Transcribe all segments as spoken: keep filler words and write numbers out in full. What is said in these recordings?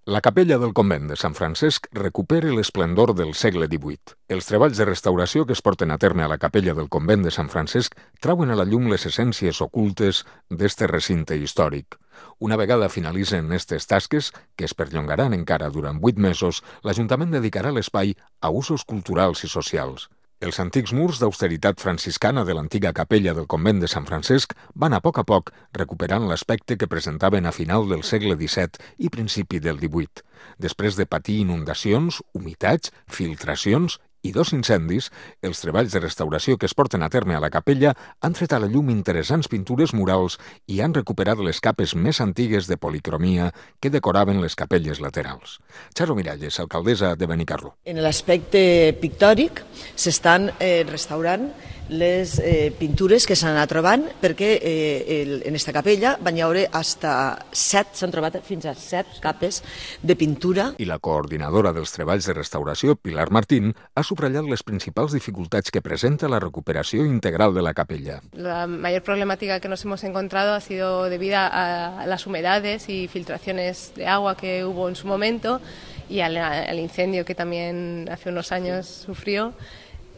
La capella del convent de Sant Francesc recupera l'esplendor del segle divuit. Els treballs de restauració que es porten a terme a la capella del convent de Sant Francesc trauen a la llum les essències ocultes d'este recinte històric. Una vegada finalitzen aquestes tasques, que es perllongaran encara durant vuit mesos, l'Ajuntament dedicarà l'espai a usos culturals i socials. Els antics murs d'austeritat franciscana de l'antiga capella del convent de Sant Francesc van a poc a poc recuperant l'aspecte que presentaven a final del segle disset i principi del divuit. Després de patir inundacions, humitats, filtracions i dos incendis, els treballs de restauració que es porten a terme a la capella han tret a la llum interessants pintures murals i han recuperat les capes més antigues de policromia que decoraven les capelles laterals. Charo Miralles, alcaldessa de Benicarló. En l'aspecte pictòric s'estan eh, restaurant les eh, pintures que s'han anat trobant perquè eh, el, en aquesta capella van hi haure hasta set, s'han trobat fins a set capes de pintura. I la coordinadora dels treballs de restauració, Pilar Martín, ha subratllat les principals dificultats que presenta la recuperació integral de la capella. La mayor problemática que nos hemos encontrado ha sido debida a las humedades y filtraciones de agua que hubo en su momento y al, al incendio que también hace unos años sufrió.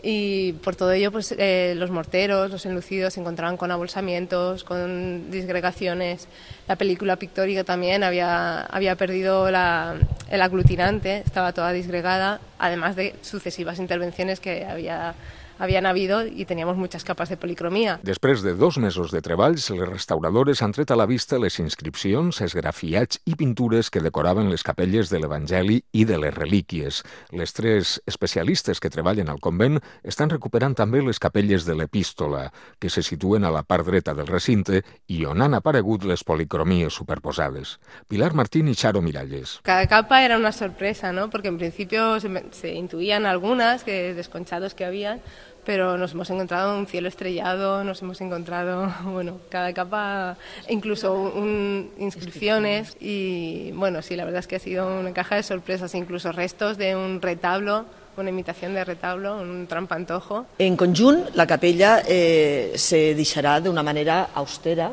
Y por todo ello, pues eh, los morteros, los enlucidos se encontraban con abolsamientos, con disgregaciones. La película pictórica también había, había perdido la, el aglutinante, estaba toda disgregada, además de sucesivas intervenciones que había havien habido i teníamos muchas capas de policromia. Després de dos mesos de treballs, les restauradores han tret a la vista les inscripcions, esgrafiats i pintures que decoraven les capelles de l'Evangeli i de les relíquies. Les tres especialistes que treballen al convent estan recuperant també les capelles de l'Epístola, que se situen a la part dreta del recinte i on han aparegut les policromies superposades. Pilar Martín y Charo Miralles. Cada capa era una sorpresa, ¿no? Porque en principio se, se intuían algunas que desconchados que habían, pero nos hemos encontrado un cielo estrellado, nos hemos encontrado, bueno, cada capa, incluso un, inscripciones y, bueno, sí, la verdad es que ha sido una caja de sorpresas, incluso restos de un retablo, una imitación de retablo, un trampantojo. En conjunt, la capella eh, se deixarà d'una manera austera,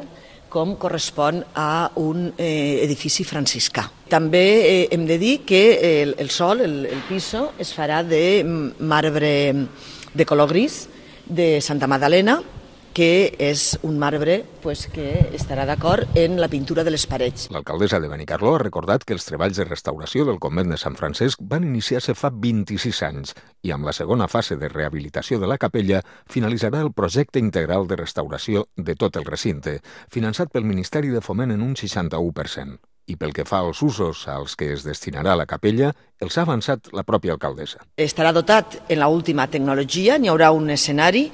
com correspon a un eh, edifici franciscà. També eh, hem de dir que el, el sol, el, el piso, es farà de marbre de color gris de Santa Magdalena, que és un marbre pues, que estarà d'acord en la pintura de les parets. L'alcaldessa de Benicarló ha recordat que els treballs de restauració del convent de Sant Francesc van iniciar-se fa vint-i-sis anys i amb la segona fase de rehabilitació de la capella finalitzarà el projecte integral de restauració de tot el recinte, finançat pel Ministeri de Foment en un seixanta-u per cent. I pel que fa als usos als que es destinarà la capella, els ha avançat la pròpia alcaldessa. Estarà dotat en l'última tecnologia, n'hi haurà un escenari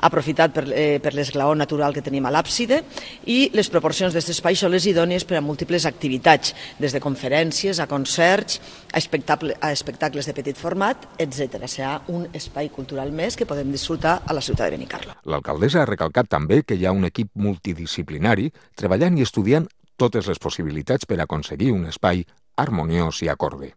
aprofitat per, eh, per l'esglaó natural que tenim a l'àpside i les proporcions d'aquest espai són les idònies per a múltiples activitats, des de conferències a concerts, a, espectacle, a espectacles de petit format, etcètera. Serà un espai cultural més que podem disfrutar a la ciutat de Benicarló. L'alcaldessa ha recalcat també que hi ha un equip multidisciplinari treballant i estudiant totes les possibilitats per aconseguir un espai harmoniós i acorde.